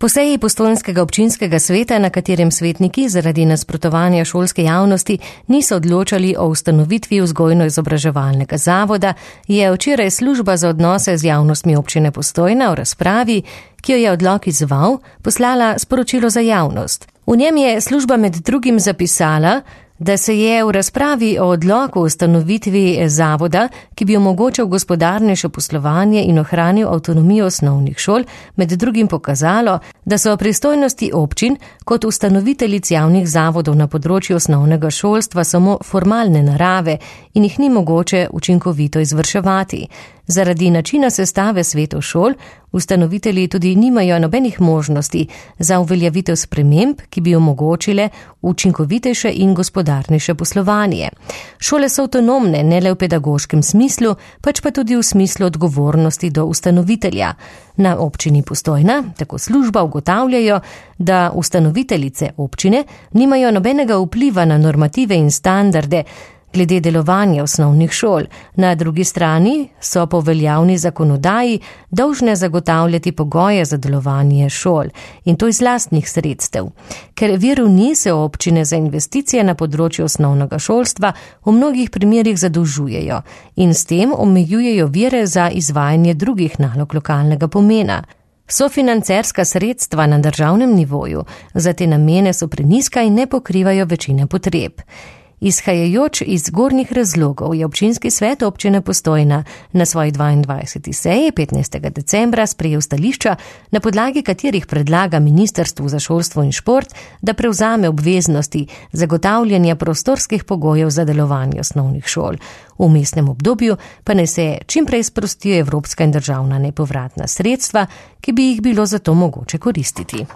Po seji postojnskega občinskega sveta, na katerem svetniki zaradi nasprotovanja šolske javnosti niso odločali o ustanovitvi vzgojno-izobraževalnega zavoda, je včeraj služba za odnose z javnostmi občine Postojna v razpravi, ki jo je odlok izzval, poslala sporočilo za javnost. V njem je služba med drugim zapisala, da se je v razpravi o odloku o ustanovitvi zavoda, ki bi omogočal gospodarnejše poslovanje in ohranil avtonomijo osnovnih šol, med drugim pokazalo, da so pristojnosti občin kot ustanoviteljic javnih zavodov na področju osnovnega šolstva samo formalne narave in jih ni mogoče učinkovito izvrševati. Zaradi načina sestave svetov šol, ustanovitelji tudi nimajo nobenih možnosti za uveljavitev sprememb, ki bi omogočile učinkovitejše in gospodarnejše poslovanje. Šole so avtonomne ne le v pedagoškem smislu, pač pa tudi v smislu odgovornosti do ustanovitelja. Na občini Postojna tako služba ugotavljajo, da ustanoviteljice občine nimajo nobenega vpliva na normative in standarde glede delovanja osnovnih šol. Na drugi strani so po veljavni zakonodaji dolžne zagotavljati pogoje za delovanje šol in to iz lastnih sredstev. Ker virov ni, se občine za investicije na področju osnovnega šolstva v mnogih primerih zadolžujejo in s tem omejujejo vire za izvajanje drugih nalog lokalnega pomena. Sofinancerska sredstva na državnem nivoju za te namene so prenizka in ne pokrivajo večine potreb. Izhajajoč iz zgornjih razlogov je občinski svet občine Postojna na svoji 22. seji 15. decembra sprejel stališča, na podlagi katerih predlaga Ministrstvu za šolstvo in šport, da prevzame obveznosti zagotavljanja prostorskih pogojev za delovanje osnovnih šol. V vmesnem obdobju pa naj se čim prej sprostijo evropska in državna nepovratna sredstva, ki bi jih bilo zato mogoče koristiti.